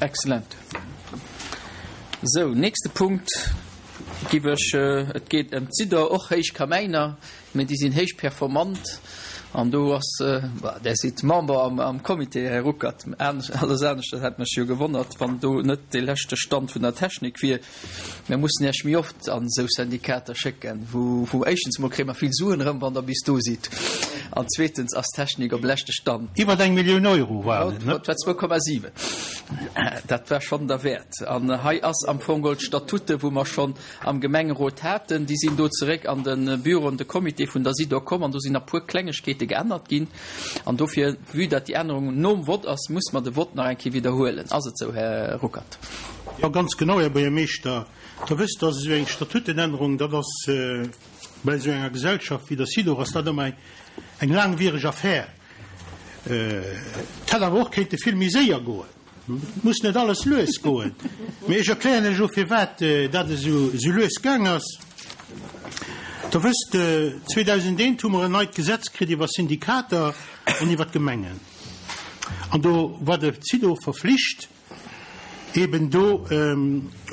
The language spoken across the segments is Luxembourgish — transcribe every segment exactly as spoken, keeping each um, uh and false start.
Excellent. Sou, nächste Punkt giff ech, et geet ëm d'Sidor, och héich Kamäiner, mä déi sinn héich performant an do ass, bah, Der sidd Member am, am Comité, Här Ruckert, alles anescht, dat hätt mech jo gewonnert, wann do net dee leschte Stand vun der Technik wier. Mir mussen Iech méi oft an esou Syndikater schécken, wou, wou éischtens emol kréie mer vill Suen erëm, wann Der bis do sidd, an zweetens ass d'Technik op leschte Stand. Iwwer eng Millioun Euro waren et, ne? Et war zwou Komma siwen. Dat war schonn derwäert. An hei ass am Fong geholl d'Statute, wou mer schonn am Gemengerot haten, déi sinn do zeréck an de Büro, an de Comité vun der SIDOR komm an do sinn nach puer Klengegkeete geännert ginn. An dofir, vue dat déi Ännerung nom Vott ass, muss mer de Vott nach eng Kéier widderhuelen. Ass et esou, Här Ruckert? Jo, ganz genau, Här Buergermeeschter. Der wësst, dass esou eng Statutenännerung, dat ass bei esou enger Gesellschaft wéi der SIDOR, ass dat ëmmer eng laangwiereg Affär. Et hätt awer och kéinte vill méi séier goen. Et muss net alles lues goen. Mee ech erklären lech elo, firwat dat esou lues gaang ass. Der wësst, zweedausendeent hu mer en neit Gesetz kritt iwwer Syndikater an iwwer d'Gemengen. An do war de CIDO verflicht, eben do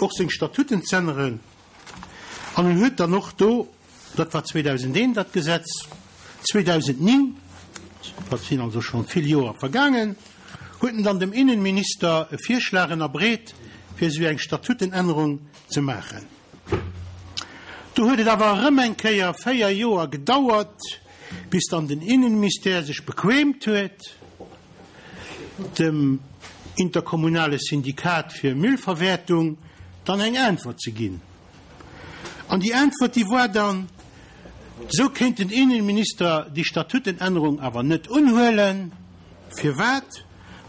och seng Statuten z'änneren. An en huet dann och do, dat war zweedausendeent dat Gesetz, zweedausendnéng, dat sinn also scho vill Joer vergaangen, huet en dann dem Innenminister e Virschlag ënnerbreet, fir esou eng Statutenännerung ze maachen. Do huet et awer erëm eng Kéier véier Joer gedauert, bis dann den Innenministère sech bequeemt huet, dem interkommunale Syndikat fir Müllverwäertung dann eng Äntwert ze ginn. An déi Äntwert, déi war dann, Esou kéint den Innenminister déi Statutenännerung awer net unhuelen. Firwat?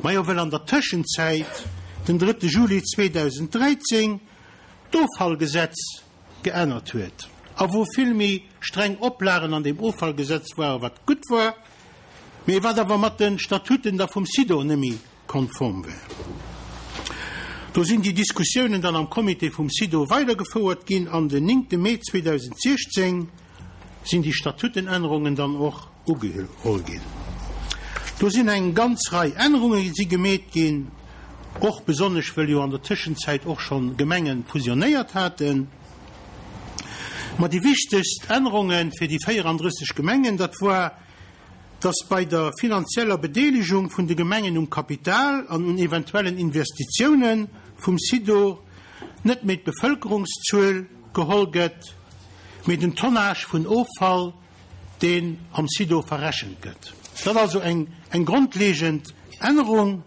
Majo, well an der Tëschenzäit, den drëtte Juli zweedausenddräizéng, d'Offallgesetz geännert huet a wou vill méi streng Oplagen an deem Offallgesetz waren, wat gutt war, mee wat awer mat de Statuten da vum SIDOR net méi konform war. Do sinn déi Diskussiounen dann am Comité vum SIDOR weidergefouert ginn an den néngte Mee zweedausendsechzéng sinn déi Statutenännerungen dann och ugeholl ginn. Do sinn eng ganz Rei Ännerunge si gemeet ginn, och besonnesch wëll jo an der Tëschenzäit och schonn Gemenge fusionéiert haten. Ma déi wichtegst Ännerunge fir déi véierandrësseg Gemengen, dat war, dass bei der finanzieller Bedeelegung vun de Gemengen um Kapital an un eventuellen Investitiounen vum SIDOR net méi d'Bevëlkerungszuel geholl gëtt, mee den Tonnage vun Offall, deen am SIDOR verrechent gëtt. Dat also eng eng grondlegend Ännerung.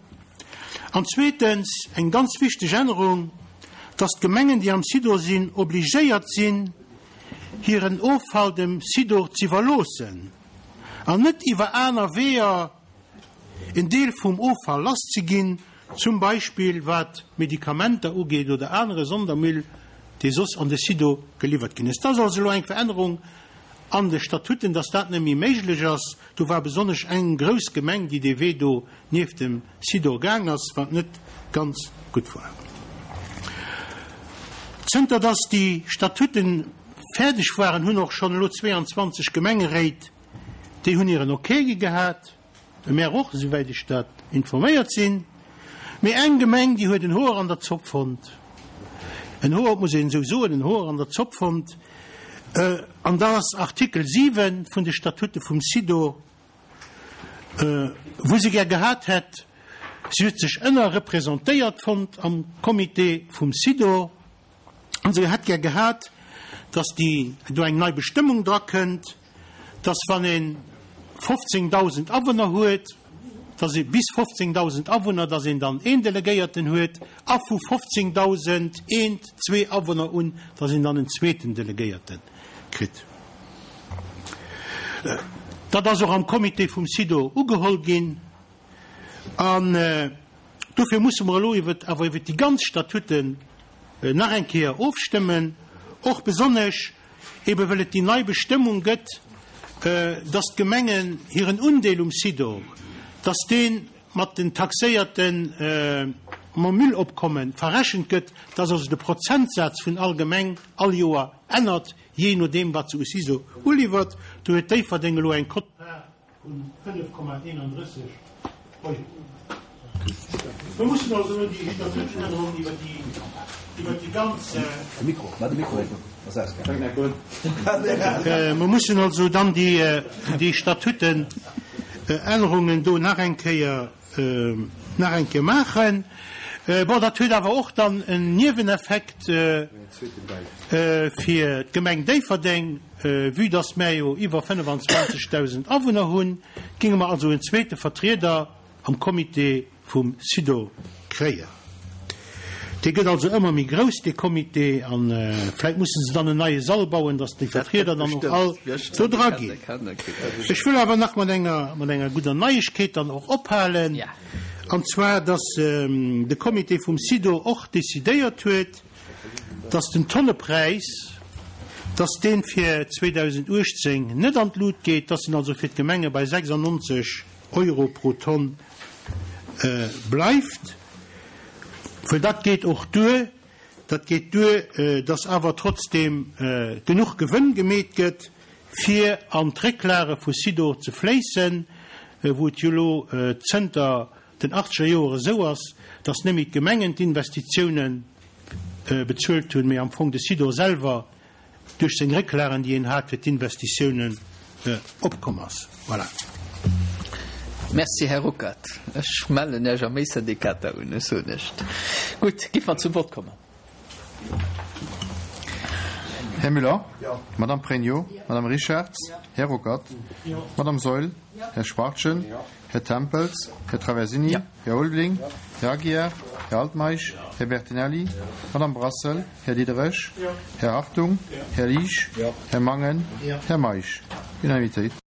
An zweetens eng ganz wichteg Ännerung, dass d'Gemengen, déi am SIDOR sinn, obligéiert sinn, hiren Offall dem SIDOR z'iwwerloossen an net iwwer aner Weeër en Deel vum Offall lasszeginn, zum Beispill wat Medikamenter ugeet oder anere Sondermüll, dee soss an de SIDOR geliwwert ginn ass. Dat ass also elo eng Verännerung an de Statuten, dass dat net méi méiglech ass. Do war besonnesch eng grouss Gemeng, déi dee Wee do nieft dem SIDOR gaang ass, wat net ganz gutt war. Zënter dass déi Statuten fäerdeg waren, hunn och schonn elo zweeanzwanzeg Gemengeréit, déi hunn hiren Ok gi gehat, de Maire och, esouwäit ech dat informéiert sinn. Mee eng Gemeng, déi huet en Hoer an der Zopp fonnt, en Hoer, et muss een esou soen, en Hoer an der Zopp fonnt, an dat ass Artikel siwen vun de Statute vum SIDOR, wou se gär gehat hätt, si huet sech ënnerrepresentéiert fonnt am Comité vum SIDOR, an se hätt gär gehat, dass déi do eng nei Bestëmmung drakënnt, dass wann ee fofzéngdausend Awunner huet, dass ee bis fofzéngdausend Awunner, dass een dann een Delegéierten huet a vu fofzéngdausend eent, zwee Awunner un, dass een dann en zweeten Delegéierte kritt. Dat ass och am Comité vum SIDOR ugeholl ginn an dofir musse mer elo iwwer awer iwwer déi ganz Statuten nach eng Kéier ofstëmmen, och besonnesch ebe well et déi nei Bestëmmung gëtt, dass d'Gemengen hiren Undeel um SIDOR, dass dee mat den taxéierte mam Müllopkomme verrechent gëtt, dass also de Prozentsaz vun all Gemeng all Joer ännert, jee nodeem wat se u SISO uliwwert. Do huet Déifferdeng elo eng Quote-part vun fënnef Komma eenandrësseg Euro. Mer mussen also elo déi Statutenännerung iwwer déi, iwwer déi ganz. Mer mussen also dann déi, déi Statutenännerungen do nach eng Kéier, nach eng Kéier maachen. Bon, dat huet awer och dann en Nieweneffekt fir d'Gemeng Déifferdeng. Vue dass mär jo iwwer fënnefanzwanzegdausend Awunner hunn, géinge mer also en zweete Vertrieder am Comité vum SIDOR kréien. Dee gëtt also ëmmer méi grouss, dee Comité, a vläicht musse se dann en neie Sall bauen, dass déi Vertrieder dann och all do dra ginn. Ech wëll awer nach mat enger, mat enger gudder Neiegkeet dann och ophalen, an zwar dass de Comité vum SIDOR och decidéiert huet, dass den Tonnepräis, dass dee fir zweedausenduechtzéng net an d'Lut geet, dass en also fir d'Gemenge bei sechsundneunzeg Euro pro Tonn bleift, well dat geet och duer, dat geet duer, dass awer trotzdeem genuch Gewënn gemeet gëtt, fir an d'Récklage vu Sidor ze fléissen, wou et jo elo zënter den achtzeger Joer esou ass, dass net méi d'Gemengen d'Investitiounen bezuelt hunn, mee am Fong de Sidor selwer duerch seng Récklagen, déi en hat fir d'Investitiounen, opkomm ass. Voilà. Merci, Här Ruckert. Ech mellen Iech am Méi-Syndikater un, ech soen näischt. Gutt, giff mer zum Vott kommen. Här Müller? Madame Pregno? Madame Richarz? Här Ruckert? Madame Saeul? Här Schwachtgen? Här Tempels? Här Traversini? Här Ulveling? Här Aguiar? Här Altmeisch? Här Bertinelli? Madame Brassel? Här Diderich? Här Hartung? Här Liesch? Här Mangen? Här Meisch? Unanimitéit.